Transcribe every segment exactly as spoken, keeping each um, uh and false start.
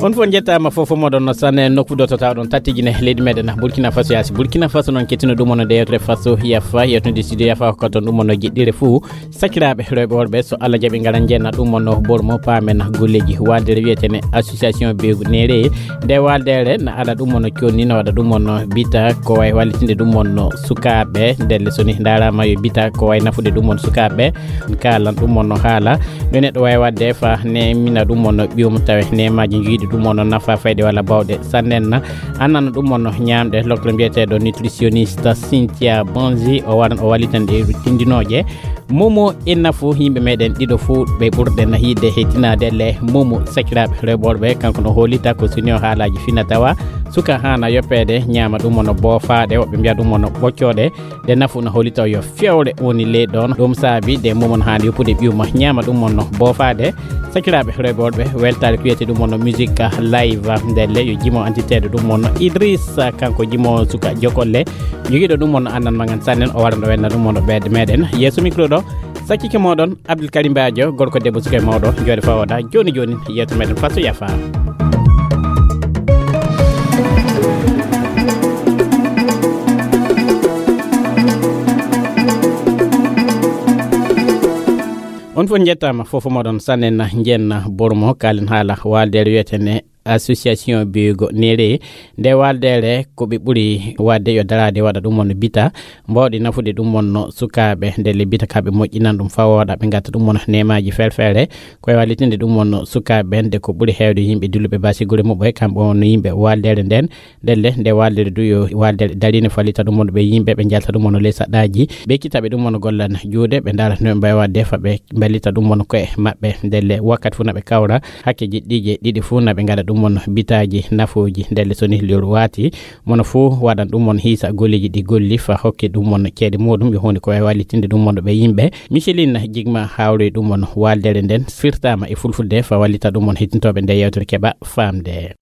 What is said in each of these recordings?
On fof njettaama, fof fof moɗon no sanne nokku ɗo to tawɗon tattijine leydi meɗen Burkina Faso yaasi. Burkina Faso noon kettino ɗum ono nde yewtere Faso Yafa, yewtude studio Yafa ko ton ɗum ono jeɗɗire fuu. Sakiraaɓe rewɓe worɓe, so Allah jaɓi, ngaran njenna ɗum ono bormo paamen golleeji. Waldere wiyetene association Begu Nere. Nde waldere na ala ɗum ono conni, no waɗa ɗum ono bita ko way wallitinde ɗum ono sukaaɓe. Ndelle so ni ndaaraama yo bita ko way nafude ɗum ono sukaaɓe. Kaalan ɗum ono haala. No neɗɗo wawi wadde fa nemina ɗum ono ɓiyum tawe nemaji joyiɗi ɗum ono nafa fayde walla bawɗe sannen. Annana ɗum ono ñamɗe lokle mbiyeteɗo nutritionniste Cynthia Bonzi, o waran o wallitan ɗe tindinoje. Momo e nafu yimɓe meɗen ɗiɗo fuu ɓe ɓurɗen yiɗde hetinade le. Momo sakiraɓe rewɓe worɓe kanko no holita ko suni o haalaji fina tawa suka hana yoppede ñama ɗum ono boofaɗe, woɓɓe mbiya ɗum ono ɓoccoɗe. Nde nafu no holita yo fewre woni ley ɗon. Ɗum saabi nde momon haani yoppude ɓiyuma ñama ɗum ono boofaɗe. Sakiraɓe rewɓe worɓe, weltare kuyete ɗum ono musique live ndelle yo jimo antiteɗo ɗum ono Idrissa, kanko jimo suka jokolle jogiɗo ɗum ono annan magan sannen, o waran ɗo wenna ɗum ono ɓeede meɗen yeeso micro ɗo. Sakkike moɗon Abdoul Karim Badio, gorko debbo suka e mawɗo, jooɗe fawoda joni joni yeeso meɗen Faso Yafa. On fof njettaama, fof moɗon sannen njenna bormo kalen haala waldere wiyetene association Bego Nere. Nde waldere ko ɓe ɓuri wadde yo darade waɗa ɗum ono bita mbawɗi nafude ɗum ono sukaaɓe ndelle bita ka ɓe moƴƴinan ɗum fawoɗa ɓe gatta ɗum ono nemaji ferfere. Koye wallitinde ɗum ono sukaaɓe ɓen de ko ɓuri heewde yimɓe dilluɓe basigure muɓɓe kamɓe ono yimɓe waldere nden. Ndelle nde waldere du yo waldere darine fallita ɗum ono ɓe yimɓe ɓe jalta ɗum ono ley saɗɗaji ɓe kitaɓe ɗum ono gollan juuɗe ɓe ndaara no ɓe mbawi wadde fa ɓe mballita ɗum ono koye maɓɓe. Ndelle wakkati fof naɓe kawra hakke jiɗɗije ɗiɗi fof naɓe ngaɗa ɗum ono bitaji nafoji. Ndelle so ni lewru wati mono fof waɗan ɗum ono hiisa golleji ɗi golli fa hokke ɗum ono ceede muɗum yo hunde ko wawi wallitinde ɗum ono ɓe yimɓe. Micheline Jigma hawroy ɗum ono waldere nden firtama e fulfulde fa wallita ɗum ono hittintoɓe nde yewtere keɓa famde.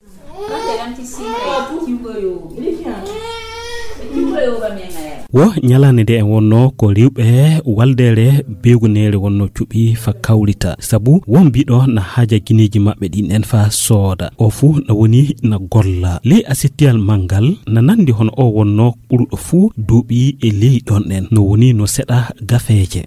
Wo ñalaande nde en wonno ko rewɓe waldere beegunere wonno cuɓi fa kawrita sabu won mbiɗo na haaja gineeji maɓɓe ɗin en fa sooda o fuu na woni na golla ley asitiyal manngal na nandi hono o wonno ɓuruɗo fuu duuɓi e ley ɗon en no woni no seɗa gafeeje.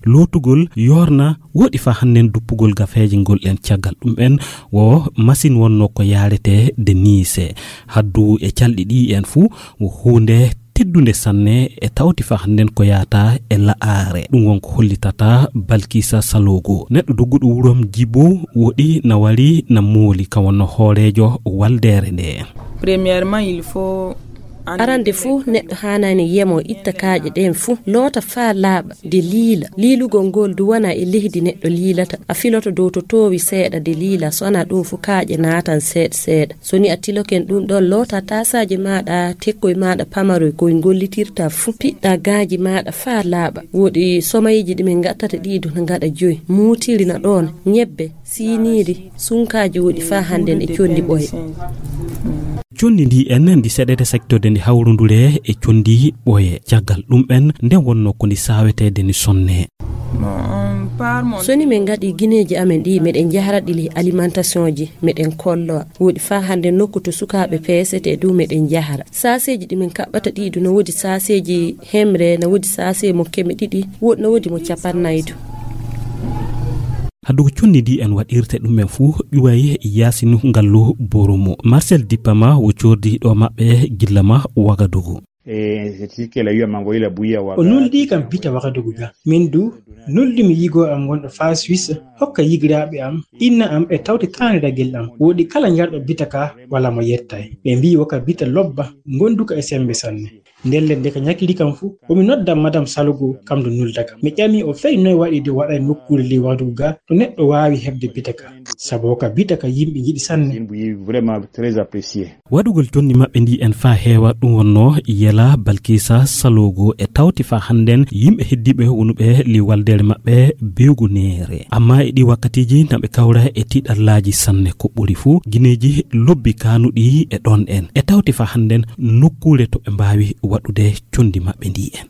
Lootugol yoorna woɗi fa hannden duppugol gafeeje ngol en caggal ɗum en wo masin wonno ko yaarete de niise haddu e calɗi ɗi en fuu wo huunde teddunde sanne e tawti fa hannden ko yaata e la'aare ɗum won ko hollitata balkisa salogo neɗɗo dogguɗo wurom jibo woɗi na wari na mooli ka wonno hooreejo waldeere nde. Premièrement il faut Arande fof neɗɗo haanani yemo itta kaaƴe ɗen fof loota faa laaɓa de liila. Liilugol ngol du wona e leydi neɗɗo liilata. A filoto dow to toowi seeɗa de liila so wona ɗum fof kaaƴe naatan seeɗa seeɗa. So ni a tiloken ɗum ɗon loota taasaaji maaɗa tekkoy maaɗa pamaroy koy ngollitirta fof piɗɗa gaaji maaɗa faa laaɓa. Woɗi somayiji ɗi min ngattata ɗi du na ngaɗa joyi muutiri na ɗoon ñebbe. Siiniiri sunkaaji woɗi faa hannden e conndi ɓoye. Conndi ndi en ndi seɗete saktorde ndi hawrundure e conndi ɓoye caggal ɗum en nden wonno ko ndi saaweteede ndi sonne. So ni min ngaɗi gineeji amen ɗi meɗen njahara ɗi ley alimentation ji meɗen kollowa woɗi faa hannden nokku to sukaaɓe peesetee du meɗen njahara saaseeji ɗi min kaɓɓata ɗi du na woodi saaseeji hemre na woodi saasee mo keme ɗiɗi woɗi na woodi mo capannaydu. Haddugo conndi ndi en waɗirte ɗum en fuu ƴuway yaasinu ngallu boromo marcel dippama wo coordi ɗo maɓɓe gilla ma wagadugu. O nuldi kam bita wagadugu ga min du nuldi mi yigo am wonɗo faa suisse hokka yigiraaɓe am inna am e tawte taani ragel am woɗi kala njarɗo bita ka wala mo yettay ɓe mbi woka bita lobba ngonduka e sembe sanne. Ndelle nde ka ñakiri kam fuu, o mi nodda madam Salogo kam ndu nulda kam. Mi ƴami o fey noy waɗi de waɗay nokkuure ley waɗugo ga to neɗɗo waawi heɓde bita ka. Sabu ka bita ka yimɓe njiɗi sanne. Waɗugol jonni maɓɓe ndi en faa heewa ɗum wonnoo yel. La Balkisa Salogo e tawti fa hannden yimɓe heddiiɓe wonuɓe li waldeere maɓɓe bewguneere. Amma e ɗi wakkatiiji na ɓe kawra e tiiɗallaaji sanne ko ɓuri fuu gineeji lobbi kaanuɗi e ɗon en. E tawti fa hannden nokkuure to ɓe mbaawi waɗude condi maɓɓe ndi en.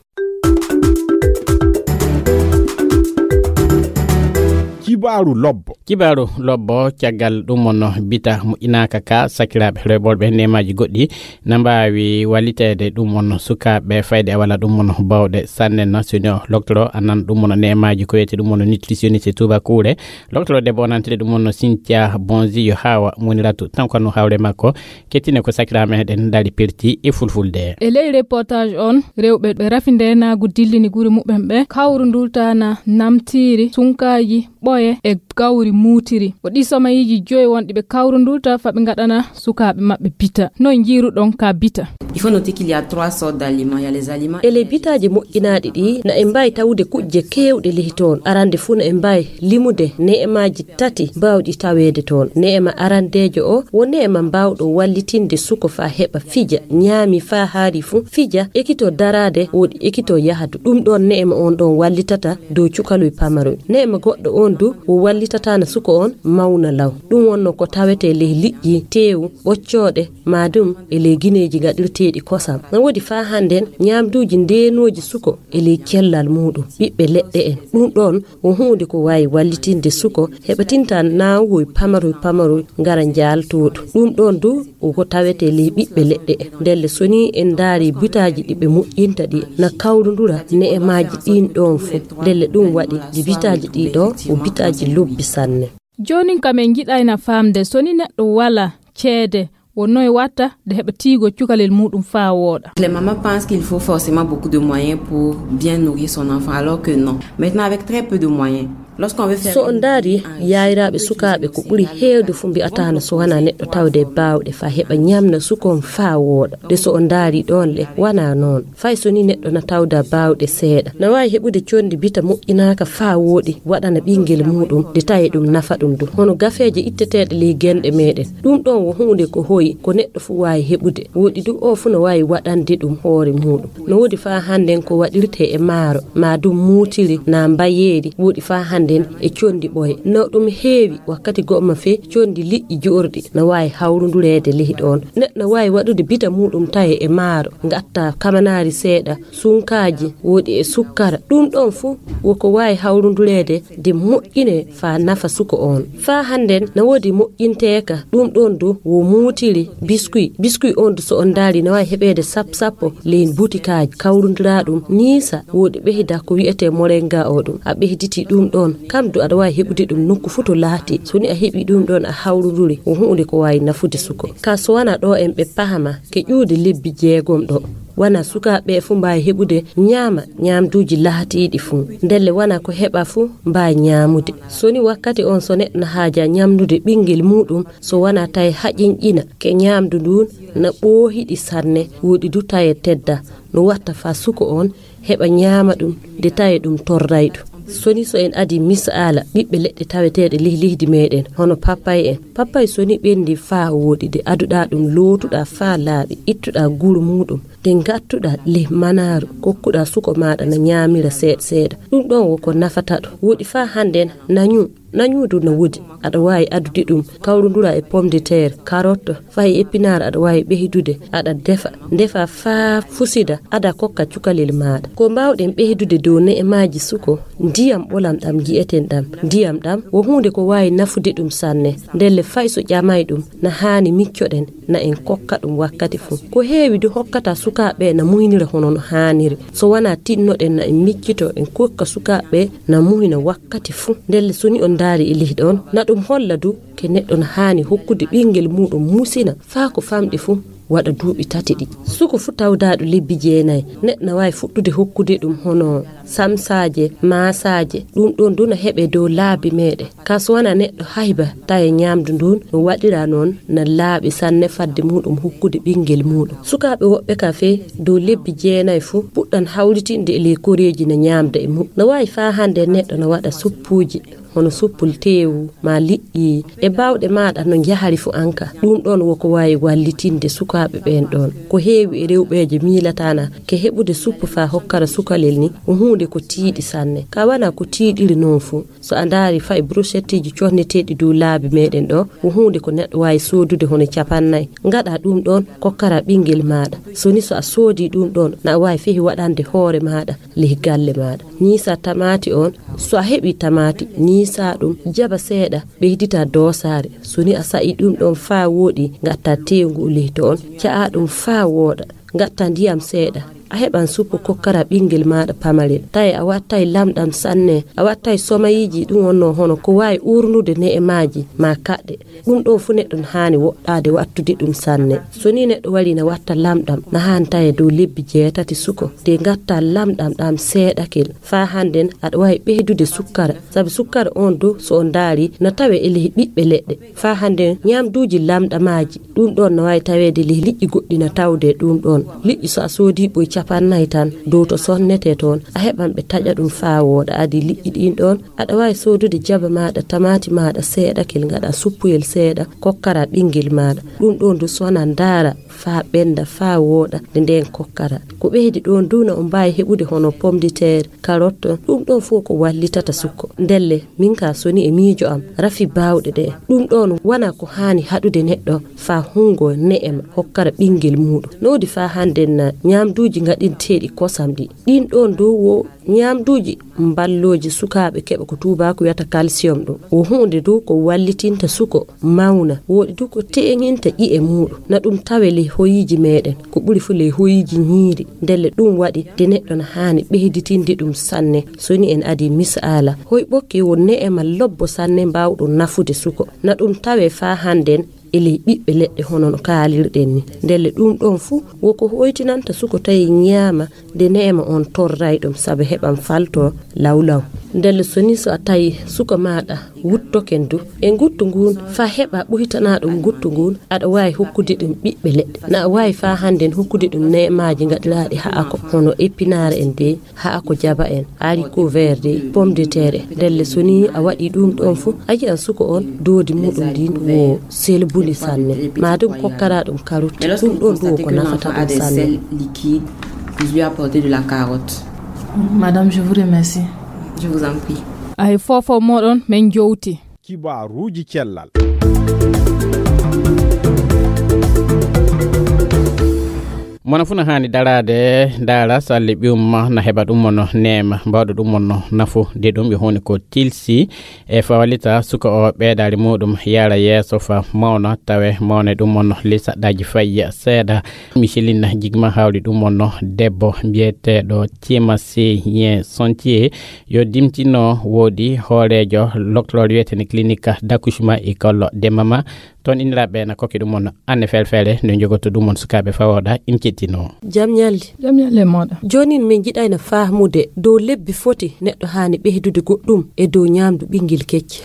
Kibaaru lobbo. Kibaaru lobbo, caggal ɗum wonno bita moƴƴinaaka ka sakiraaɓe rewɓe neemaaji goɗɗi na mbaawi walliteede ɗum wonno sukaaɓe fayde e walla ɗum wonno bawɗe sanne na sino loktoro anan ɗum wonno neemaaji ko wiyete ɗum wonno nutritionniste tubakuure. Loktoro debbo o nantide ɗum wonno Cynthia Bonzi yo haawa muniratu tan kono hawre makko kettine ko sakiraaɓe meɗen ndaari perti e fulfulde. E ley reportage on, rewɓe ɓe rafi ndeenaagu dillini gure muɓɓen ɓe kawru ndultana namtiiri, sunkaaji, ɓoye e gawri muutiri. O ɗi somayiiji joyi wonɗi ɓe kawru ndulta fa ɓe ngaɗana sukaaɓe maɓɓe bita. Noy njiiruɗon ka bita? Il faut noter qu'il y a trois sortes d'aliments. Il y a les aliments. E ley bitaaji moƴƴinaaɗi ɗi, na en mbaawi tawude kuƴje keewɗe lehi toon. Arande fuu na en mbaawi limude ne'emaaji tati baawɗi taweede toon. Ne'ema arandeejo o, wo ne'ema mbaawɗo wallitinde suko faa heɓa fija, ñaami faa haari fuu, fija, ekito daraade, woɗi ekito yahadu. Ɗum ɗoon ne'ema on ɗoon wallitata dow cukaloy pamaroy. Ne'ema goɗɗo on du, wo wallitataana suko on mawna law. Ɗum wonno ko tawetee ley liƴƴi, teewu, ɓoccooɗe, maa ɗum e ley gineeji gaɗirteeɗi kosam. Na woodi faa hannden ñaamduuji ndeenooji suko e ley cellal muuɗum, ɓiɓɓe leɗɗe en. Ɗum ɗoon wo huunde ko waawi wallitinde suko heɓa tinta naawuhoy pamaroy pamaroy ngara njaaltooɗo. Ɗum ɗoon du wo ko tawetee ley ɓiɓɓe leɗɗe en. Ndelle so nii en ndaari bitaaji ɗi ɓe moƴƴinta ɗi na kawrundura ne'emaaji ɗiin ɗoon fof. Ndelle ɗum waɗi ɗi bitaaji ɗii ɗoo wo bitaaji lobbi sanne. Joonin kam en njiɗayna faamde so ni neɗɗo wala ceede wo noy watta nde heɓa tiigo cukalel muuɗum faa wooɗa. Les mamans pensent qu'il faut forcément beaucoup de moyens pour bien nourrir son enfant, alors que non. Maintenant, avec très peu de moyens, lorsqu'on veut faire... So on ndaari yayraaɓe sukaaɓe ko ɓuri heewde fof mbi'ataano so wanaa neɗɗo tawde baawɗe faa heɓa ñamna suko on faa wooɗa. De so on ndaari ɗoon le, wanaa noon. Fay so ni neɗɗo na tawda baawɗe seeɗa, na waawi heɓude conndi bita moƴƴinaaka faa wooɗi, waɗana ɓinngel muuɗum, de tawi ɗum nafa ɗum du. Hono gafeeje itteteeɗe ley genɗe meeɗen. Ɗum ɗoon wo huunde ko hoyi, ko neɗɗo fuu waawi heɓude. Wooɗi du o fuu no waawi waɗande ɗum hoore muuɗum. No woodi faa hannden ko waɗirtee e maaro, maa ɗum muutiri, naa mbayeeri, wooɗi faa hannden e conndi ɓoye. No ɗum heewi, wakkati go'o ma fee conndi liƴƴi joorɗi, no waawi hawrundureede ley ɗoon. Neɗɗo no waawi waɗude bita muuɗum tawi e maaro, ngatta kamanaari seeɗa, sunkaaji, wooɗi e sukkara. Ɗum ɗoon fuu wo ko waawi hawrundureede de moƴƴinee faa nafa suko oon. Faa hannden na woodi moƴƴinteeka, ɗum ɗoon du wo muutiri biskuy. Biskuy oon du so on ndaari na waawi heɓeede sappo sappo ley butikaaji. Kawrundiraa ɗum niisa, wooɗi ɓeyda ko wi'etee moringa o ɗum. A ɓeyditii ɗum ɗoon, kam du aɗa waawi heɓude ɗum nokku fuu to laatii. So ni a heɓii ɗum ɗoon a hawrunduri, wo huunde ko waawi nafude suko. Kaa so wanaa ɗo en ɓe pahama, ke ƴuude lebbi jeegom ɗo. Wanaa sukaaɓe ɓe fuu mbaawi heɓude ñaama ñaamduuji laatiiɗi fuu. Ndelle wanaa ko heɓa fuu mbaawi ñaamude. So ni wakkati oon so neɗɗo na haaja ñamnude ɓinngel muuɗum, so wanaa tawi haƴinƴina ke ñaamdu nduun na ɓoohiɗi sanne, wooɗi du tawi tedda, no watta faa suko oon heɓa ñaama ɗum de tawi ɗum torrayɗum. So ni so en adii misaala ɓiɓɓe leɗɗe taweteeɗe ley leydi meeɗen, hono pappay en. Pappay so ni ɓendi faa wooɗi de aduɗaa ɗum, lootuɗaa faa laaɓi, ittuɗaa guru muuɗum, de ngattuɗaa ley manaaru, kokkuɗaa suko maaɗa na ñaamira seeɗa seeɗa. Ɗum ɗoon wo ko nafata ɗum. Wooɗi faa hannden nañu, nañu du na woodi. Aɗa waawi addude ɗum, kawrundura e pomme de terre, carotte, fay épinard aɗa waawi ɓeydude, aɗa defa, ndefa faa fusida, aɗa kokka cukalel maaɗa. Ko mbaawɗen ɓeydude dow ne'emaaji suko, ndiyam ɓolam ɗam nji'eten ɗam. Ndiyam ɗam wo huunde ko waawi nafude ɗum sanne. Ndelle fay so ƴamay ɗum, na haani miccoɗen, na en kokka ɗum wakkati fuu. Ko heewi du hokkata sukaaɓe na muynira hono no haaniri. So wanaa tinnoɗen na en miccito, en kokka sukaaɓe na muhina wakkati fuu. Ndelle so ni on ndaari e leydi on, na ɗum holla du ke neɗɗo na haani hokkude ɓinngel muuɗum musina faa ko famɗi fuu waɗa duuɓi tati ɗi. Suko fuu tawdaaɗo lebbi jeenayi, neɗɗo na waawi fuɗɗude hokkude ɗum hono samsaaje, maasaaje, ɗum ɗoon du na heɓe dow laabi meeɗen. Kaa so wanaa neɗɗo hayba tawi ñaamdu ndun no waɗira noon na laaɓi sanne fadde muuɗum hokkude ɓinngel muuɗum. Sukaaɓe woɓɓe ka fee dow lebbi jeenayi fuu puɗɗan hawritinde e ley koreeji na ñaamda e mum. No waawi faa hannde neɗɗo no waɗa suppuuji, hono suppul teewu ma liƴƴi e baawɗe maaɗa no njahari fu anka. Ɗum ɗoon woko waawi wallitinde sukaaɓe ɓeen ɗoon. Ko heewi e rewɓeejo miilatana ke heɓude suppu faa hokkara sukalel ni, ko huunde ko tiiɗi sanne. Ka wana ko tiiɗiri noon fu. So a ndaari fay brochetteeji cohneteeɗi dow laabi meeɗen ɗo, ko huunde ko neɗɗo waawi soodude hono capannay. Ngaɗa ɗum ɗoon kokkara ɓinngel maaɗa. So ni so a soodii ɗum ɗoon, na a waawi fehi waɗande hoore maaɗa ley galle maaɗa. Ñiisa tamaati on, so a heɓii tamaati, ñiisa ɗum, jaba seeɗa, ɓeydita doosaare. So ni a sa'i ɗum ɗoon faa wooɗi, ngatta teewu ngu ley toon, ca'a ɗum faa wooɗa, ngatta ndiyam seeɗa. A heɓan suppu kokkara ɓinngel maaɗa pamarel. Tawi a wattay lamɗam sanne, a wattay somayiiji ɗum wonnoo hono ko waawi uurnude ne'e maaji maa kaɗɗe. Ɗum ɗoon fu neɗɗo no haani woɗɗaade wattude ɗum sanne. So ni neɗɗo wari na watta lamɗam, na haani tawi dow lebbi jeetati suko. De ngatta lamɗam ɗam seeɗakel. Faa hannden aɗa waawi ɓeydude sukkara. Sabi sukkara on dow so on ndaari na tawe e ley ɓiɓɓe leɗɗe. Faa hannden ñaamduuji lamɗamaaji, ɗum ɗoon no waawi taweede ley liƴƴi goɗɗi na tawde ɗum ɗoon. Liƴƴi so a soodii ɓoy capannay tan, dow to sonnetee toon, a heɓan ɓe taƴa ɗum faa wooɗa. Adi liƴƴi ɗiin ɗoon, aɗa waawi soodude jaba maaɗa, tamaati maaɗa seeɗakel, ngaɗa suppuyel seeɗa, kokkara ɓinngel maaɗa. Ɗum ɗoon du sona ndaara faa ɓennda, faa wooɗa, nde ndeen kokkara. Ko ɓeydi ɗoon du na on mbaawi heɓude hono pomme de terre, carotte, ɗum ɗoon fof ko wallitata sukko. Ndelle, min ka so ni e miijo am, rafi baawɗe ɗe. Ɗum ɗoon wana ko haani haɗude neɗɗo faa hunngo ne'ema hokkara ɓinngel muuɗum. No woodi faa hannden na ñaamduuji ngaɗinteeɗi kosam ɗi. Ɗiin ɗoon dow wo ñaamduuji mballooji sukaaɓe keɓa ko tuubaaku wiyata calcium ɗum. Wo huunde dow ko wallitinta suko mawna. Wooɗi dow ko teeŋinta ƴi'e muuɗum. Na ɗum tawe ley hoyiiji meeɗen. Ko ɓuri fu ley hoyiiji ñiiri. Ndelle ɗum waɗi de neɗɗo na haani ɓeyditinde ɗum sanne. So ni en adi misaala. Hoy ɓokki wo ne'ema lobbo sanne mbaawɗo nafude suko. Na ɗum tawe faa hannden e ley ɓiɓɓe leɗɗe hono no kaalirɗen ni. Ndelle ɗum ɗoon fu wo ko hoytinanta suko tawi ñaama de ne'ema on torray ɗum sabu heɓan falto lawlaw. Ndelle so ni so a tawi suka maaɗa wuttoken du e nguttu ngun faa heɓa ɓoytana ɗum nguttu ngun, aɗa waawi hokkude ɗum ɓiɓɓe leɗɗe. Na a waawi faa hannden hokkude ɗum ne'emaaji ngaɗiraaɗi ha'ako hono épinard en de, ha'ako jaba en, haricot vert de, pomme de terre. Ndelle so ni a waɗi ɗum ɗoon fu, a yi'an suko on doodi muɗum ndin wo selbundi sanne. Ma ɗum kokkara ɗum carotte. Ɗum ɗoon du wo ko nafata ɗum sanne. Liquide, vous lui apportez de la carotte. Madame, je vous remercie. Je vous en prie. Ay fofo moɗon men jowti. Kibaaruuji cellal. Mona fu na haani daraade, ndaara salle ɓiyum ma na heɓa ɗum mono neema, mbaɗu ɗum mono nafu, de ɗum ɓe honi ko tilsi e fawalita suka o ɓeedaari muɗum yara yeeso fa mawna, tawe mawne ɗum mono lisa ɗaji fayya seeɗa. Micheline jigma hawri ɗum mono debbo mbiyeteeɗo Tiema Seyen Sontier, yo dimtino woodi hooreejo loktor wiyetene clinique d'accouchement e kollo de mama. Toon inniraaɓe na kokki ɗum on anne felfele no jogoto ɗum on sukaaɓe fawooɗa in kettino. Jam ñalli. Jam ñalli e mooɗa. Joonin min njiɗayno faamude dow lebbi foti neɗɗo haani ɓeydude goɗɗum e dow ñaamdu ɓinngel kecce.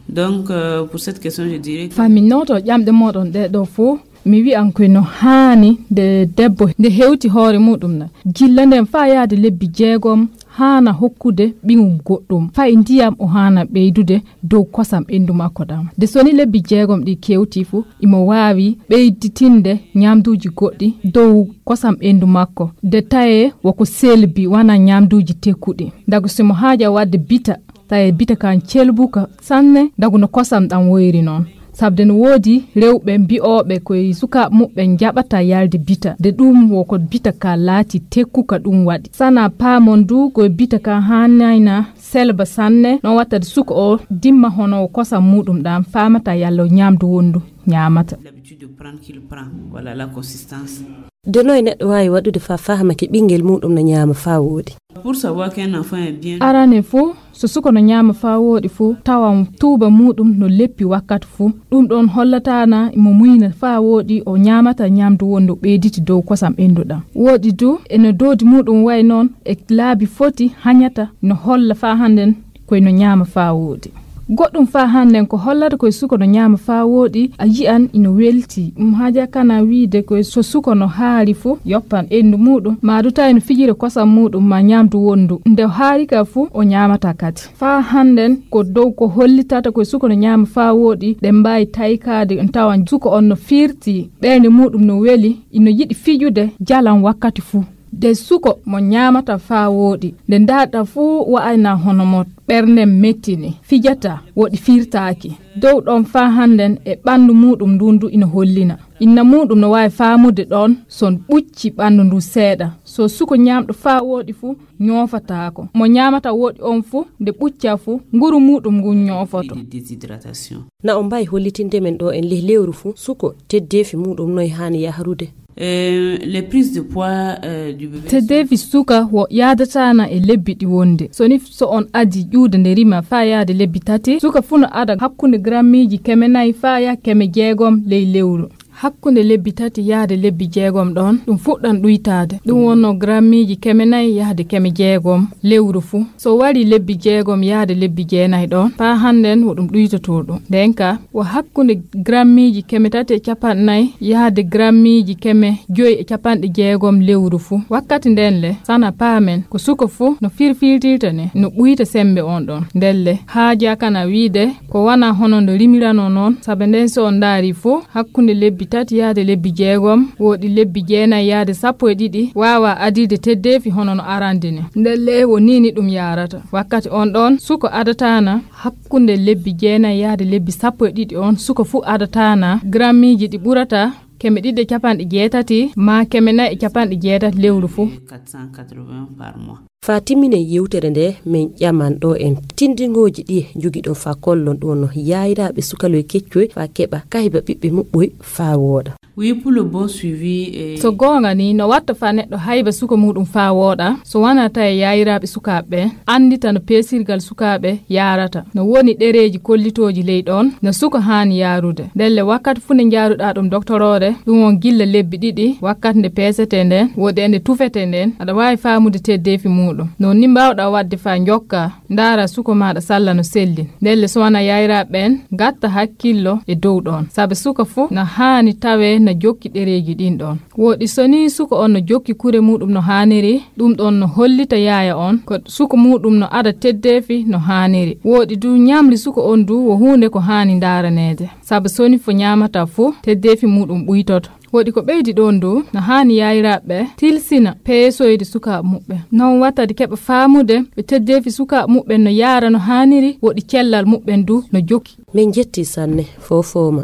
Donc, euh, pour cette question, je dirais que famminnoto ƴamɗe moɗon ɗe ɗo fof, mi wiyan koy no haani nde debbo nde hewti hoore muɗum na. Gilla nden faa yaade lebbi jeegom haana hokkude ɓiyum goɗɗum. Fay ndiyam o haana ɓeydude dow kosam ɓendu makko ɗam. Nde soni lebbi jeegom ɗi kewti fu, imo waawi ɓeyditinde ñaamduuji goɗɗi dow kosam ɓendu makko. Nde tawee woko selbi wana ñaamduuji tekkuɗi. Ndagu simo haaja waɗde bita, tawee bita kan celbuka sanne, ndagu no kosam ɗam woyri noon. Sabde no woodi rewɓe mbi'ooɓe koye sukaaɓe muɓɓen njaɓata yalde bita, de ɗum woko bita ka laati tekkuka ɗum waɗi. Sana paamon du koye bita ka haanayna selba sanne, no watta de suka o dimma hono kosam muɗum ɗam faamata yalla o ñaamdu wondu ñaamata. L'habitude de prendre qu'il prend, voilà la consistance. De noy neɗɗo waawi waɗude faa faama ke ɓinngel muɗum no ñaama faa wooɗi? Pour savoir qu'un enfant est bien. Arane fof, so suka no ñaama faa wooɗi fof, tawa tuuba muɗum no leppi wakkati fof. Ɗum ɗon hollataana imo muyna faa wooɗi o ñaamata ñaamdu wondu ɓeyditi dow kosam ɓenduɗam. Wooɗi du, eno doodi muɗum wayi noon e laabi foti hañata no holla faa hannden koye no ñaama faa wooɗi. Goɗɗum faa hannden ko hollata ko e suka no ñaama faa wooɗi, a yi'an ino weltii. Ɗum haja kana wiide ko e so suka no haari fu, yoppan ɓenndu muuɗum, maa du tawi no fijira kosam muuɗum maa ñaamdu wonndu. Nde haari ka fu, o ñaamata kadi. Faa hannden ko dow ko hollitata ko e suka no ñaama faa wooɗi, ɗe mbaawi taykaade, on tawan suka on no fiirtii, ɓernde muuɗum no weli, ino yiɗi fijude jalan wakkati fuu. Nde suka mo ñaamata faa wooɗi, nde ndaarɗa fuu wa'ayna hono mo ɓernde metti ni, fijata, wooɗi fiirtaaki. Dow ɗoon faa hannden e ɓanndu muuɗum nduun du ina hollina. Inna muuɗum no waawi faamude ɗoon so ɓucci ɓanndu ndu seeɗa. So suka ñaamɗo faa wooɗi fu, ñoofataako. Mo ñaamata wooɗi oon fu, nde ɓucca fu, nguru muuɗum ngun ñoofoto. De déshydratation. Na on mbaawi hollitinde men ɗo en leh lewru fu, suka teddeefi muuɗum noy haani yahrude? Euh, les prises de poids, euh, du bébé. Teddeefi suka wo yaadataana e lebbi ɗi wonde. So ni so on adii ƴuude nde rima faa yaade lebbi tati, suka fu no ada hakkunde grammiiji keme nayi faa yaha keme jeegom ley lewru. Hakkunde lebbi tati yaade lebbi jeegom ɗoon, ɗum fuɗɗan ɗuytaade. Ɗum wonno grammiiji keme nayi yahde keme jeegom lewru fuu. So warii lebbi jeegom yahde lebbi jeenayi ɗoon, faa hannden wo ɗum ɗuytotoo ɗum. Ndeen ka, wo hakkunde grammiiji keme tati e capanɗe nayi yahde grammiiji keme joyi e capanɗe jeegom lewru fuu. Wakkati ndeen le, sana paamen, ko suka fuu no firfirtirta ni, no ɓuyta semmbe oon ɗoon. Ndeen le, haajaa kana wiide, ko wanaa hono ndo rimiranoo noon, sabe ndeen so on ndaarii fuu, hakkunde lebbi tati yahde lebbi jeegom, wooɗi lebbi jeenayi yahde sappo e ɗiɗi, waawaa adirde teddeefi hono no arande ni. Ndelle wo nii ni ɗum yahrata. Wakkati oon ɗoon, suka adataana hakkunde lebbi jeenayi yahde lebbi sappo e ɗiɗi oon, suka fuu adataana grammiiji ɗi ɓurata keme ɗiɗi e capanɗe jeetati maa keme nayi e capanɗe jeetati lewru fuu. Quatre cent quatre-vingts par mois. Faa timminen yewtere nde, min ƴaman ɗo en tindingooji ɗi njogiɗon faa kollon ɗo no yaayiraaɓe sukaloy keccoy faa keɓa kahiba ɓiɓɓe muɓɓoy faa wooɗa. Oui, pour le bon suivi, eh. So goonga ni, no watta faa neɗɗo hayba suka muuɗum faa wooɗa, so wanaa tawi yaayiraaɓe sukaaɓe ɓen anndita no peesirgal sukaaɓe yaarata. No woni ɗereeji kollitooji ley ɗoon no suka haani yaarude. Ndelle wakkati fuu nde njaaruɗaa ɗum doktoroore, ɗum won gilla lebbi ɗiɗi, wakkati nde peesetee ndeen, woodi e nde tufetee ndeen, aɗa waawi faamude teddeefi muuɗum. Noon ni mbaawɗaa waɗde faa njokkaa, ndaaraa suka maaɗa salla no selli. Ndelle so wanaa yaayiraaɓe ɓeen, ngatta hakkillo e dow ɗoon. Sabe suka fuu na haani tawee na jokki ɗereeji ɗiin ɗoon. Wooɗi so nii suka on no jokki kure muuɗum no haaniri, ɗum ɗoon no hollita yaaya on ko suka muuɗum no ada teddeefi no haaniri. Wooɗi du ñamri suka on du wo huunde ko haani ndaaraneede. Sabu so nii fo ñaamata fuu, teddeefi muuɗum ɓuytoto. Wooɗi ko ɓeydi ɗoon du, no haani yaayiraaɓe tilsina peesoyde sukaaɓe muɓɓen. Noon watta de keɓa faamude ɓe teddeefi sukaaɓe muɓɓen no yaara no haaniri, wooɗi cellal muɓɓen du no jokki. Min njetti sanne, fofooma.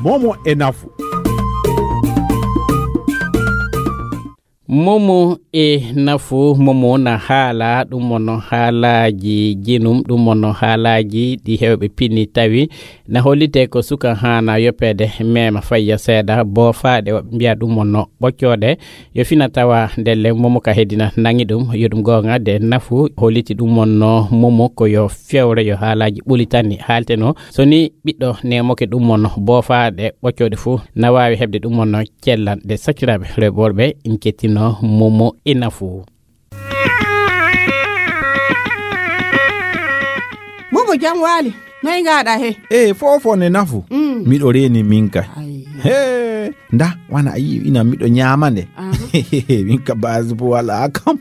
Momo e nafu. Momo e nafu, momo na haala, ɗum wonno haalaaji jinum, ɗum wonno haalaaji ɗi heewɓe pinni tawi na hollitee ko suka haana yoppeede, mema fayya seeɗa, boofaaɗe, woɓɓe mbiya ɗum wonno ɓoccooɗe. Yo fina tawa ndelle momo ka heddina nangi ɗum, yo ɗum goonga de nafu, holliti ɗum wonno momo ko yo fewre, yo haalaaji ɓoli tan ni haalteno. So ni ɓiɗɗo nemoke ɗum wonno boofaaɗe ɓoccooɗe fuu, na waawi heɓde ɗum wonno cellal. De sakiraaɓe rewɓe worɓe, in kettino momo e nafu. Momo, jam waali. Noy ngaɗa he? E fofo ne nafu. Mm. Miɗo reeni min kay. Ay. He, nda, wana a yii ina miɗo ñaama nde. Aha. Min ka base bo wala kam.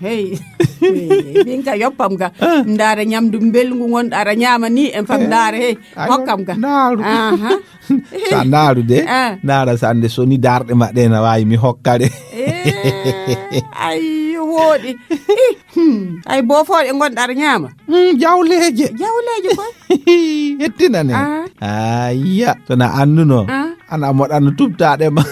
Hey. Hey. Min ka yoppam ga. Ah. Ndaara ñamdu mbelngu ngonɗo aɗa ñaama ni en fam. Eh. Ndaara he. Ay, hokkam ga. Ndaaru. Aha. Sa ndaaru de, ah, ndaara sande so ni darɗe ma ɗe na waawi mi hokkade. Eh, ay, wooɗi. Ih, hmm. Ay, boofooɗe ngonɗa aɗa ñaama. Hmm, jawleeje. Jawleeje koy. Hettinane. Ah. Ayya, so na annduno. Ah. Ana moɗano tubtaɗe ma.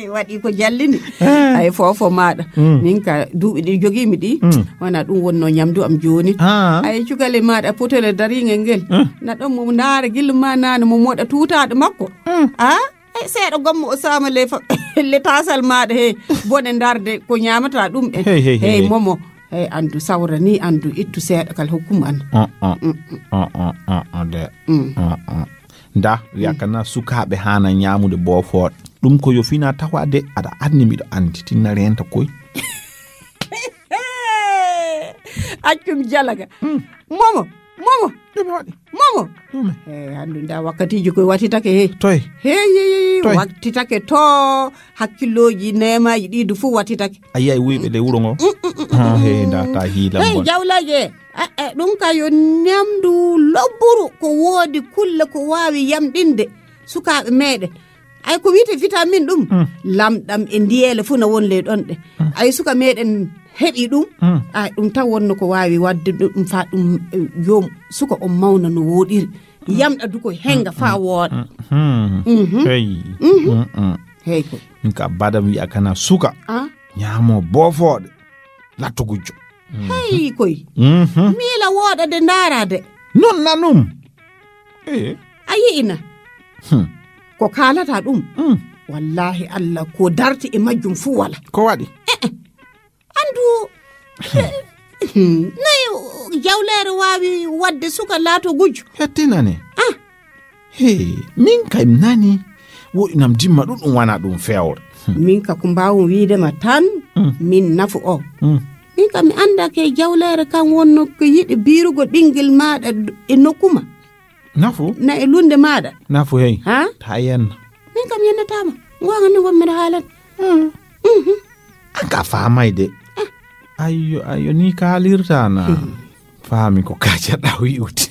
Waɗi ko jallini. Ah. Ay, fofo maɗa. Hmm. Min ka duuɓi ɗi jogiimi ɗi. Hmm. Wona ɗum wonno ñamdu am jooni. Ah. Ay, cukale maɗa potole daringel ngel. Hmm. Na ɗon mo ndaara gillu ma nane mo moɗa tutaɗo makko. Hmm. Ah? Ay, seeɗa gommo o saama le fa-, le tasal maɗa he. Bone ndarde ko ñamata ɗum en. Hey, hey, hey, hey, hey. Momo. Hey, andu sawra ni, andu ittu seeɗa kal hokkum an. Ah, ah. Mm, mm. Ah, ah, ah, ah, de. Mm. Ah, ah. Nda, wiya, mm, kana sukaaɓe haana ñaamude boofoɗe. Ɗum ko yo fina tawa de, aɗa anndi miɗo anndi, tinna reenta koy. Accum jalaga. Momo, momo. Ɗume waɗi? Momo. Ɗume? He, hanndu nda wakkatiiji koye wattitake he. Toy? He, he, he, he, Toy? Wattitake to hakkillooji neemaaji ɗi du fuu wattitake. A yiyay wuyɓe le wuro ngo? Mm, mm, mm, mm, Ah, he, mm. Nda ta hiila Hey, mbo. Jawleeje. Eh, eh, ɗum ka yo ñamdu lobburu ko woodi kulle ko waawi yamɗinde sukaaɓe meeɗen. Ay ko wiyte vitamine ɗum, Mm. lamɗam e ndiyeele fuu na won ley ɗon ɗe. Mm. Ay suka meeɗen heɓi ɗum, Mm. ay ɗum tan wonno ko waawi waɗde ɗum fa ɗum, eh, joom suka on mawna no wooɗiri. Yamɗa du ko henga fa wooɗa. Mm, mm. Mhm. Hey. Mhm. Mm, mm. Hey ko. Min ka badam wi'a kana suka. Ah? Ñaamo boofooɗe. Latto gujjo. Hey koy. Mhm. Miila wooɗa de ndaara de. Non nanum. Eh. A yi'ina. Hmm. Ko kaalata ɗum. Hmm. Wallahi Allah ko darti e majjum fuu wala. Ko waɗi? Eh, eh. Andu. Nayi jawleere waawi waɗde suka laato gujjo. Hettinane. Ah. He, min kay mi nani. Woɗinam dimma ɗum ɗum wana ɗum fewre. Hmm. Min ka ko mbaawum wiide ma tan, Hmm. min nafu o. Hmm. Min ka mi annda ke jawleere kan wonno ko yiɗi biirugo ɓingel maaɗa d-, e nokku ma. Nafu? Na e lunde maaɗa. Nafu hey. Ha? Ta yenna. Min kam yennataama. Ngoonga ni wonmi no haalan. Hmm. Mhm. An ka faamay de. Ah. Ayyo, ayyo, ni kaalirta na. Hmm. Faami ko kacaɗa wi'ude.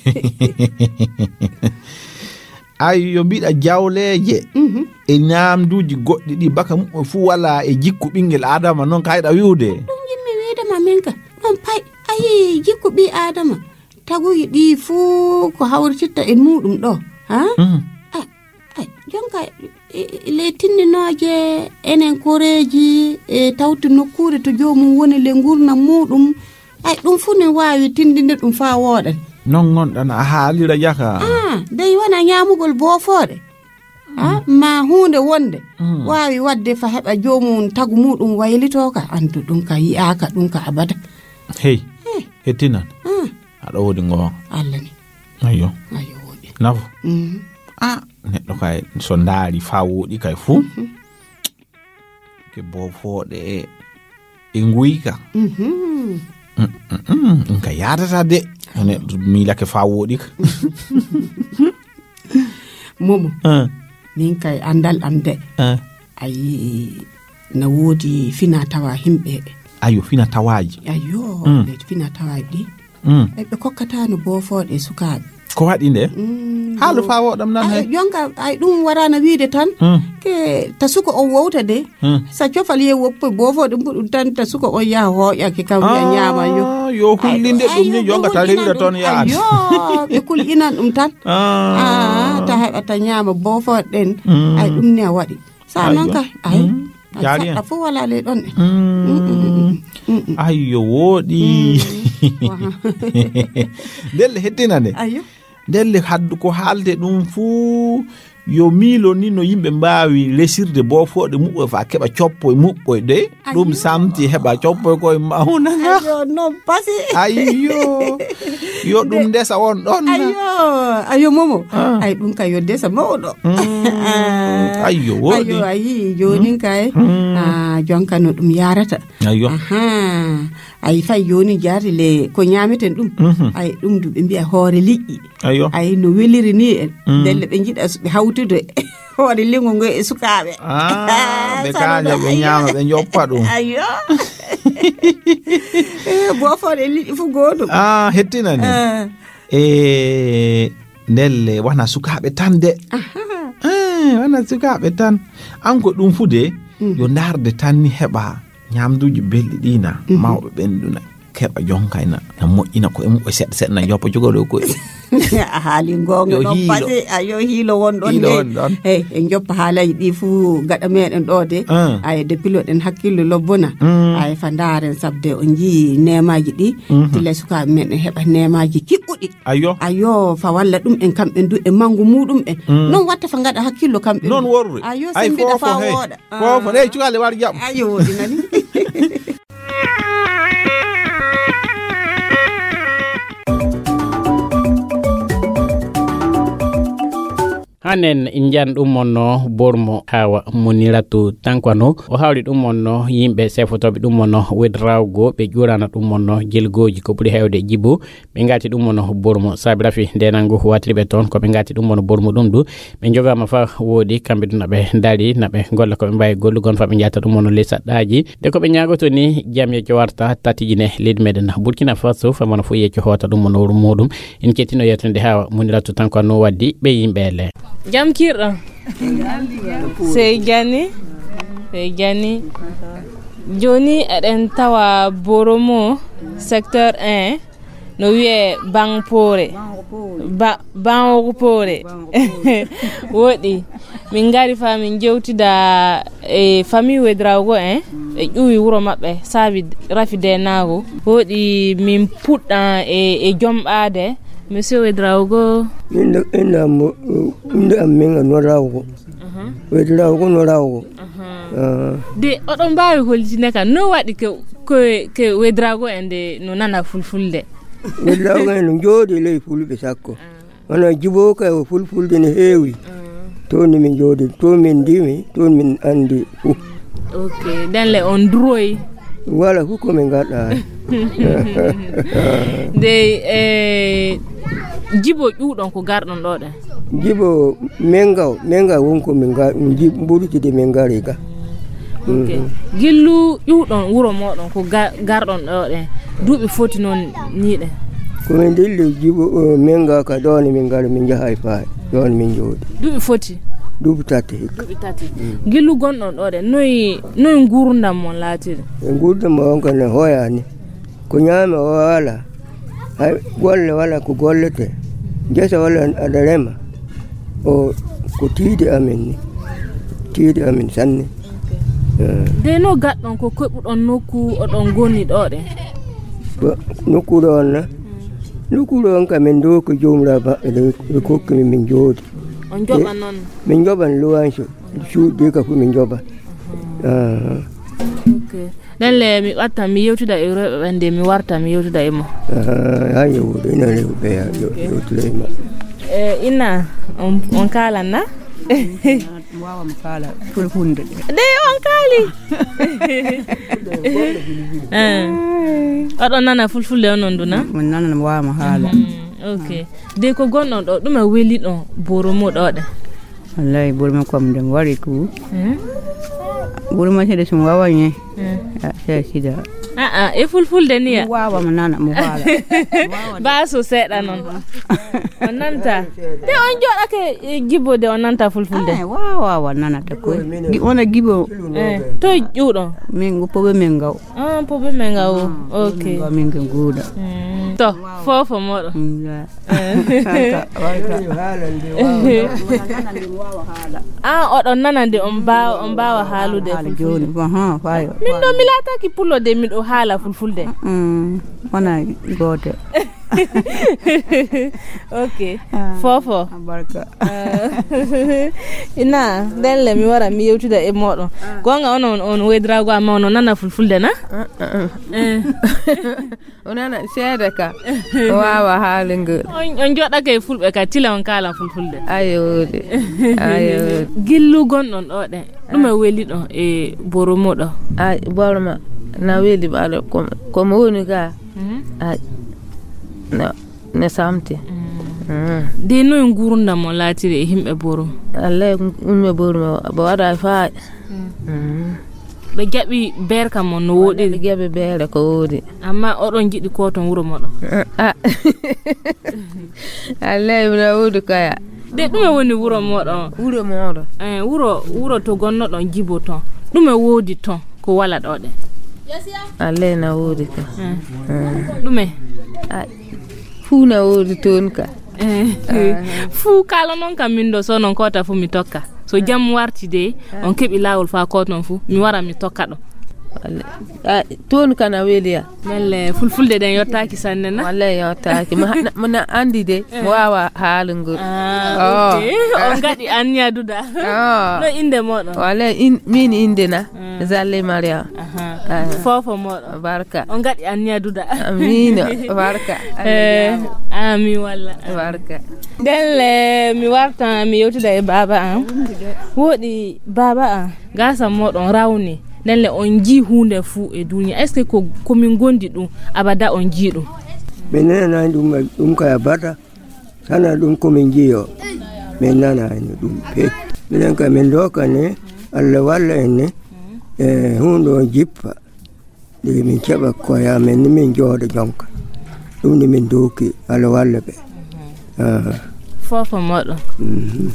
Ayyo, mbiɗa jawleeje. Mhm. E ñaamduuji goɗɗi ɗi baka muɓɓe fuu wala e jikku ɓingel Adama, non kayɗa wi'ude. Ɗum yimmi wiide ma min ka. Ɗon pay, ayi jikku ɓi Adama. Taguji ɗi fuu ko hawrititta e muɗum ɗo. Ha? Mhm. Ah, ay, jonka, e, e, le tinninooje enen koreeji e tawti nokkuure to joomum woni le ngurnam muɗum. Ay, ɗum fuu ne waawi tindinde ɗum faa wooɗa. Non ngonɗan a haalira jaka. Ah, dey wona ñaamugol boofooɗe. Ah, ma huunde wonde Mm. waawi waɗde fa heɓa joomum tagu muɗum waylitoo ka. Andu ɗum ka yi'aaka, ɗum ka abada. Hey, Hey. Hettinan. Ah. Aɗa woodi ngoonga. Allah ni. Ayyo. Ayyo, woodi. Nafu. Mm. Ah, neɗɗo kay, so ndaari faa wooɗi kay fuu. Mhm. Ke boofooɗe e, e nguyka. Mhm. Mm, mm, mm, ɗum ka yaadata de. Neɗɗo miilake faa wooɗi ka. Momo. Ah. Min kay anndal am de. Ah. A yii, na woodi fina tawa himɓe. Ayo, fina tawaaji. Ayo, Mm. ɓe fina tawaaji ɗi. Mm. Ɓe, ɓe kokkataano boofooɗe sukaaɓe. Ko waɗi nde? Mm, Haalu yo. Faa wooɗam nan Ay, hay. Jonka, ay, ɗum waraana wiide tan. Mm. Ke ta suko on wowta de. Mm. Sa cofal ye woppo boofooɗe mbuɗum tan ta suko on yaha hooƴa ke kam wi'a Ah, ñaama yo. Yo Ay, hullinde ay, ɗum ni yo jonka ɓe ta hulɗinan rewira ɗum. Toon yaade. Ayo, ɓe kulɗinan ɗum tan. Ah. Ah, ta heɓa ta ñaama boofooɗe ɗen. Mm. Ay, ɗum ne a waɗi. Sa non Ayyo. Ka, ay. Mm. Ay, Jaari saɗɗa en. Fof wala ley ɗon. Mm. Mm, mm, mm, mm, mm. Ayyo, wooɗi. Mm. Waha. Ndelle hettina nde. Ayyo. Ndelle haddu ko haalde ɗum fuu yo miilo ni no yimɓe mbaawi lesirde boofooɗe muɓɓoy faa keɓa coppoy muɓɓoy de. Ayyo. Ɗum samti heɓa coppoy koye mawna nga. Ayyo, non pasi. Ayyo. Yo ɗum Nde- ndesa on ɗon na. Ayyo, ayyo, Momo. Ah. Ay, ɗum kay yo ndesa mawɗo. Mm. Ah. Ayyo, wooɗi. Ayyo, a yii, jooni Mm. kay. Mm. Ah, jonka no ɗum yarata. Ayyo. Aha. Ay, fay jooni jaari le ko ñaameten ɗum. Mhm. Ay, ɗum du ɓe mbi'a hoore liƴƴi. Ayyo. Ay, no weliri ni en. Mm. Ndelle ɓe njiɗa s-, ɓe hawtude. Hoore lingu ngu e sukaaɓe. Ah, ɓe Sano kaaja, ɗo, ɓe ayyo. Ñaama, ɓe njoppa ɗum. Ayyo. Eh, boofooɗe liƴƴi fof gootum. Ah, hettinani. Ah. E ndelle, wona sukaaɓe tan de. Aha. Eh, wona sukaaɓe tan. An ko ɗum fu de, Mm. yo ndaarde tan ni heɓa ñaamduuji belɗi ɗi na, Mhm. mawɓe ɓen ɗuna. Keɓa jonkayna, na moƴƴina koye mum, o seɗɗa seɗɗa, na joppa jogoɗo koye. A haali goonga Yo ɗon hiilo. Pasi, a yo hiilo won ɗon Hiilo ne. Won ɗon. Hey, en joppa haalaji ɗi fuu gaɗa meɗen ɗo de. Ah. Ay, de piloɗen hakkillo lobbona. Mm. Ay, fa ndaaren sabde o njii neemaji ɗi. Mhm. Tile sukaaɓe meɗen heɓa neemaji kiɓɓuɗi. Ayyo. Ayyo, fa walla ɗum en kamɓe du e mangu muɗum en. Mm. Non watta fa gaɗa hakkillo kamɓe Noon du. Worre. Ayyo, Ay, sembiɗa fofo, fa hey. Wooɗa. Fofo, Ah. Hey, cukaale war jaɓ. Ayyo, woɗi nani. Anen njan ɗum wonno Bormo Hawa Muniratu Tankwano. O hawri ɗum wonno yimɓe sefotooɓe ɗum wonno wedrawgo ɓe ƴurana ɗum wonno jelgooji ko ɓuri heewde jibo. Ɓe ngati ɗum wonno Bormo saabi rafi ndenangu watiri ɓe toon ko ɓe ngati ɗum wonno Bormo ɗum du. Ɓe jogama fa woodi kamɓe ɗum naɓe dari naɓe golla ko ɓe mbawi gollugon fa ɓe jata ɗum wonno ley saɗɗaji. De ko ɓe ñaagoto ni jam yecco warta tatijine leydi meɗen Burkina Faso fa mono fof yecco hoota ɗum wonno wuro muɗum. En cettino yettude Hawa Muniratu Tankwano waddi ɓe yimɓe le. Jam kirɗo. Sey jani. Sey jani. Joni eɗen tawa Boromo secteur un no wiye Bangpore. Ba-, Bangpore. Woɗi. Min ngari fa min jewtida e famille Wedraogo en. Ɓe ƴuwi wuro maɓɓe saabi rafi denago. Woɗi min puɗɗa e, e jomɓade. Monsieur Wedraogo. Min ɗo, inna mo, inde am min no Rawgo. Wedraogo no Rawgo. Ah. De, oɗon mbaawi hollitinde kam, no waɗi ke, ke, ke Wedraogo en de no nana fulfulde? Wedraogo en no jooɗi ley fulɓe sakko. Wona jibo kay o fulfulde no heewi. Toon ni min jooɗi, toon min ndimi, toon min anndi fof. Ok, ɗen le on duroyi? Wala fof ko min ngaɗa. Nde, eh, jibo ƴuuɗon ko garɗon ɗo ɗen? Jibo mengaw, mengaw won ko min ga-, ji-, mbuɗutude min ngari ga. Ok. Mhm. Gillu ƴuuɗon wuro moɗon ko ga-, garɗon ɗo ɗen. Duuɓi foti noon ni ɗen? Ko min dilli jibo, eh, mengaw ka ɗo ni min ngari min njaha e faay. Ɗo ni min jooɗi. Duuɓi foti? Duuɓi tati hikka. Duuɓi tati. Mm. Gillu gonɗon ɗo ɗen. Noy, noy ngurndam mon laatiri? E ngurndam mon on kan ne hoyani. Ko ñaami o wala. Hay golle wala ko gollete. Ngesa wala aɗa rema. O ko tiiɗi amen ni. Tiiɗi amen sanne. Eh. De no gaɗɗon ko keɓuɗon nokku oɗon gonni ɗo ɗen? Ko nokku ɗo on na? Nokku ɗo on ka min ɗo ko jomra maɓɓe ɗo ɓe kokki min min jooɗi. On joɓan noon? Min joɓan luwanso. Cuuɗi ka fof min joɓan. Aha. Ok. Ɗen le mi ɓattan, mi yewtida e rewɓe ɓen de, mi warta, mi yewtida e mo. Ah, haa yewtude, ina rewɓe ya, yo-, yewtude e maɓɓe. Eh, ina, on, on kaalan na? Mi waawaa mo kaala fulfulde. De, on kaali? Eh. Oɗon nana fulfulde onon du na? Mi nana, mi waawaa mo haala. Mhm, ok. De ko gonɗon ɗo, ɗume weli ɗon Boromo ɗo ɗe? Wallahi, Boromo kam nde mi wari ku. Eh? Boromo sede sum wawa nye. Eh. Ah, sey sida. Ah, ah, e fulfulde ni ya? Mi wawa mo nana, mo wala. Baso seɗa non. On nanta. Te on joɗake e jibo de on nanta fulfulde? Ah, wawa, wawa nana ta ko. Gi-, wona jibo. Eh, to ƴuɗo. Min go pobe min gaw. Ah, pobe min gaw. Ah, ok. Min gaw, min gaw guda. Mm. To, fofo moɗo. Mm, ya. Eh. Ah, oɗon nana nde on mbaawa, on mbaawa haalude. Haala jooni, aha, fayo. Min ɗo mi laataki pullo de, miɗo haala fulfulde. Mm, wona gooto. Ok. Ah, fofo. Barka. Ah. Ina, ndelle mi wara mi yewtida e moɗon. Ah. Gonga on, on, on wedrago amma on nana fulfulde na? Ah, ah, ah. Eh. O nana seede ka. O waawa haalingol. On, on joɗake e fulɓe ka tila on kaala fulfulde. Ayo de. Ayo de. Gillu gonɗon ɗo ɗen. Ɗum e weli ɗo e boromo ɗo. Ay, boromo na weli ɓaɗo ko, ko mo woni ga. Mhm. Ay, no, no samti. Mm. Mm. De noy ngurndam mo laatiri e himɓe boromo? Allah, yimɓe boromo, bo waɗa faa. Mm. Mm. Ɓe jaɓi beere kam mon no wooɗiri? Ɓe jaɓi beere ko woodi. Amma oɗon jiɗi ko ton wuro moɗon? Ah. Allay, na woodi kaya. De ɗume woni wuro moɗon? Wuro moɗon. Eh, wuro, wuro to gonnoɗon jibo ton. Ɗume woodi ton ko wala ɗo ɗe? Allay, na woodi ka. Eh. Eh. Ɗume? Ah, fuu na woodi toon ka. Eh. Ah. Fuu kala non kam min ɗo so non kota fu mi tokka. So jam warti de, on keɓi laawol faa ko ton fu, mi wara mi tokka ɗo. Wallay. Ah, toon kana weliya. Wallay, fulfulde ɗen yottaaki sanne na? Wallay, yottaaki. Ma, na, ma na anndi de, eh, mo waawa haalugol. Ah, oh, ok. On ngaɗi anniya duda. Oh. No innde mooɗon? Wallay, in, min innde na? Mm. Zalle Maria. Aha. Ah. Foofo mooɗon? Barka. On ngaɗi anniya duda. Amiin, barka. Eh, amiin walla. Barka. Ndelle, mi warta, mi yewtida e baaba am. Woɗi baaba am. Gaasa mooɗon rawni, nden le on njii huunde fuu e duuniya. Est-ce que ko, ko min ngondi ɗum, abada on njii ɗum? Min nanani ɗum, ɗum kay abada. Sana ɗum ko min njiyo. Min nanani ɗum pe. Minen kay min dookani, Allah walla en ni. E huunde on jippa. Ɗi min keɓa koye amen ni min jooɗo jonka. Ɗum ni min dooki, Allah walla ɓe. Ah. Foofo mooɗon. Mhm.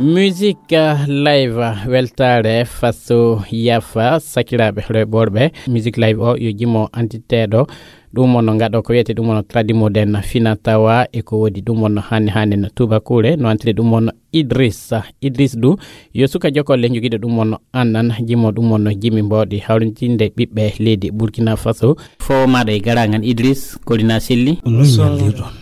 Musique, euh, live, euh, weltaare faso yafa sakiraaɓe rewɓe worɓe. Musique live o yo jimo antiteeɗo. Ɗum wonno ngaɗo ko wiyete ɗum wonno Tradimo den fina tawa e ko woodi ɗum wonno hannde hannde no tubakuure no antiri ɗum wonno Idris. Idris du yo suka jokolle jogiiɗo ɗum wonno annan jimo ɗum wonno jimi mbawɗi hawrintinde ɓiɓɓe leydi Burkina Faso. Fow maɗa e garangan Idris, kolina selli? Nun yallirɗon.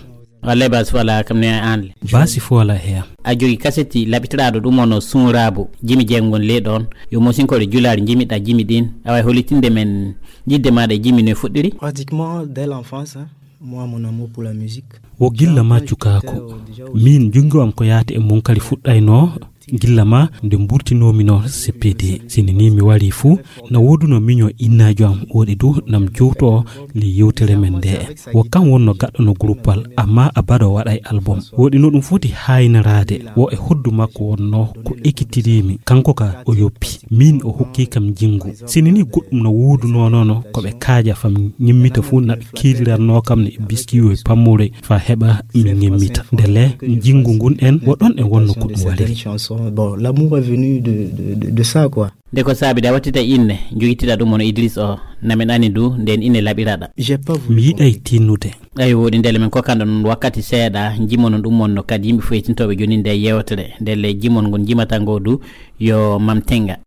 Wallay basi fola kam ne an le. Basi fola heya. A jogi kaseti laɓitiraɗo ɗum ono sunrabu jimi jengon le ɗon. Yo mosinkoɗe julaari jimiɗa jimi ɗin. Awa e holitinde men yidde maɗa e jimi no e fuɗɗiri. Pratiquement dès l'enfance, hein. Moi, mon amour pour la musique. Wo gilla ma cukaako. Min jungo am ko yaati e munkari fuɗɗayno. Gilla ma nde mburtinoomi no C P D. Sini ni mi wari fuu, na wooduno miño innaajo am woɗi du nam jowto le yewtere men nde. Wo kam wonno gaɗɗo no gruppal, amma abado waɗay album. Woɗi no ɗum foti haynaraade, wo e hoddu makko wonno ko ekkitirimi. Kanko ka o yoppi, min o hokki kam jingu. Sini ni goɗɗum no wooduno nono ko ɓe kaaja fam ñimmita fuu na ɓe kiiriranno kam ne biskiyo e pammure fa heɓa mi ñimmita. Ndele jingu ngun en wo ɗon en wonno ko ɗum waɗiri. Chanson. Bon, l'amour est venu de, de, de, de ça, quoi. Nde ko saabi da wattita inne, jogitira ɗum on Idris o, na min ani du, nden inne laɓiraɗa. J'ai pas voulu. Mi yiɗay tinnude. Ayo, woɗi ndele men kokkanɗo non wakkati seeɗa, jimono ɗum on no kadi yimɓe fof e tintooɓe joni nde yewtere, ndele jimon ngon jimata ngo du, yo Mam Tenga.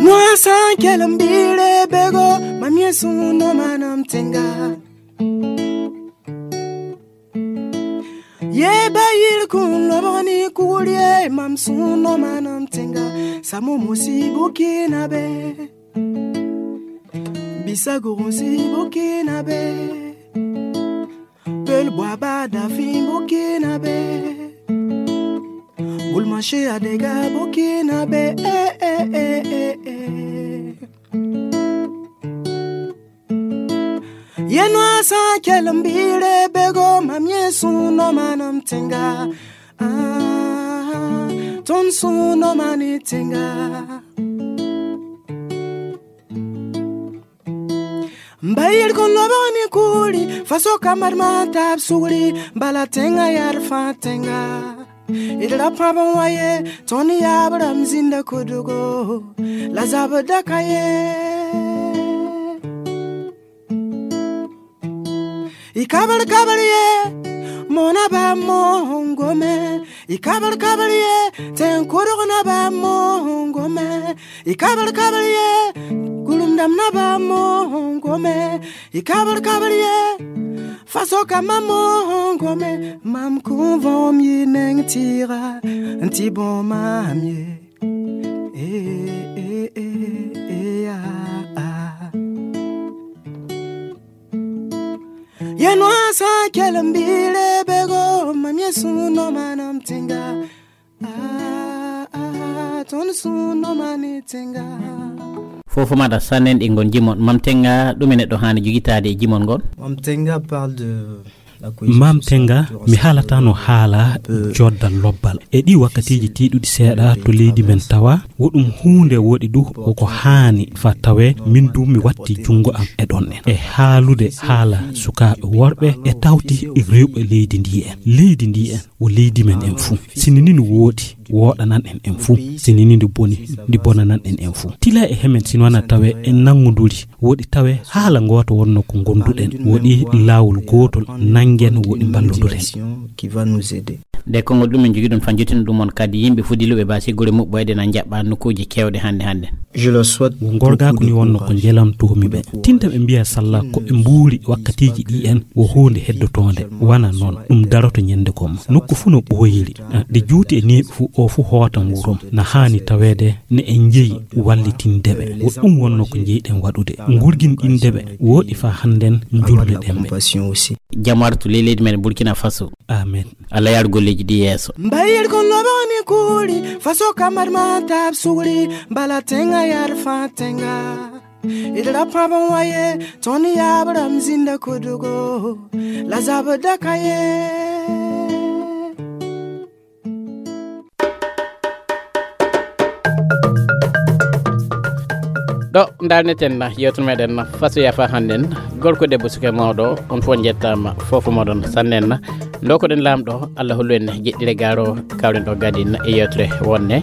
Noa san kelam bire bego, mam yesu no manam tenga. Ye bayil kun loboni kurie, mam sun no manam tenga. Samo mosi bukina be. Bisa gurun si bukina be. Pel bwaba da fin bukina be. Bulmashi adega bukina be. Eh, eh, eh, eh, eh. Ye no asa kelambire bego, mam yesu no manam tenga. Ah, ton su no mani tenga. Mbayir kon loboni kuli, faso kamar ma tab sugri, bala tenga yar fa tenga. Idra pabon waye, toni yabram zinda kudugo, la zabda kaye. I kabar kabar ye, mona ba mo hongome. I kabar kabar ye, ten koro na ba mo hongome. I kabar kabar ye, kulum dam na ba mo hongome. I kabar kabar ye, faso kama mo hongome. Mam kuvom yi neng tira, nti bon mam ye. Eh, eh, eh, eh, ah, ah. Ye no asa kelambire bego, mam yesu no manam tenga. Ah, ah, ton su no mani tenga. Fofo maɗa sannen ɗi ngon jimon. Mam Tenga, ɗum e neɗɗo haani jogitaade e jimon ngon? Mam Tenga parle de la cohésion sociale. Mam Tenga, mi haalatano haala joddal lobbal. E ɗi wakkatiiji tiiɗuɗi seeɗa to leydi men tawa, wo ɗum huunde woɗi du, wo ko haani fa tawe, min du mi watti junngo am e ɗon en. E haalude haala sukaaɓe worɓe e tawti rewɓe leydi ndi en. Leydi ndi en, wo leydi men en fuu. Sini ni no woodi, woɗanan en en fuu. Sini ni ndi boni, ndi bonanan en en fuu. Tila e hemen sino wana tawe en nannguduri, woɗi tawe haala ngoota wonno ko ngonduɗen. Woɗi laawol gootol, Ingen woɗi mballodure. Qui va nous aider. Nde konngol ɗum en jogi ɗum fan jottino ɗum on kadi yimɓe fuddiluɓe basi gure muɓɓoyde na jaɓɓa nokkuuji kewɗe hannde hannde. Je le souhaite. Wo ngorgaaku ni wonno ko njelamtoomi ɓe. Tinta ɓe mbiya salla ko ɓe mbuuri wakkatiiji ɗi en wo huunde heddotoonde. Wana noon ɗum daroto ñande gomma. Nokku fuu no ɓooyiri. Ah, ɗi juuti e neeɓi fuu o fuu hootan wurum. Na haani taweede ne en njeyi wallitinde ɓe. Wo ɗum wonno ko njeyɗen waɗude. Ngurginɗinde ɓe. Wooɗi faa hannden njulmeɗen ɓe. Jam artu ley leydi men Burkina Faso. Amen. Allah yar golleeji ɗi yeeso. Mbayir kon loboni kuri faso kamar ma tab sugri bala tenga yar fa tenga. Idra pabon waye toni yabram zinda kudugo la zabda kaye. Ɗo ndarneten yewtere meɗen fasoya fa hannden. Gorko debbo suka mawɗo on fof jettama fof moɗon sannen. Ndokoɗen laamɗo Allah hollu en jeɗɗire garo kawren ɗo gadin e yewtere wonne.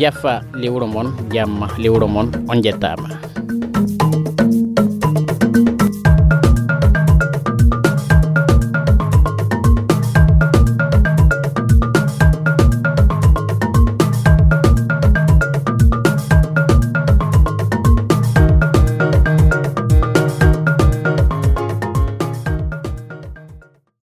Yafa liwro mon jamma liwro mon on jettama.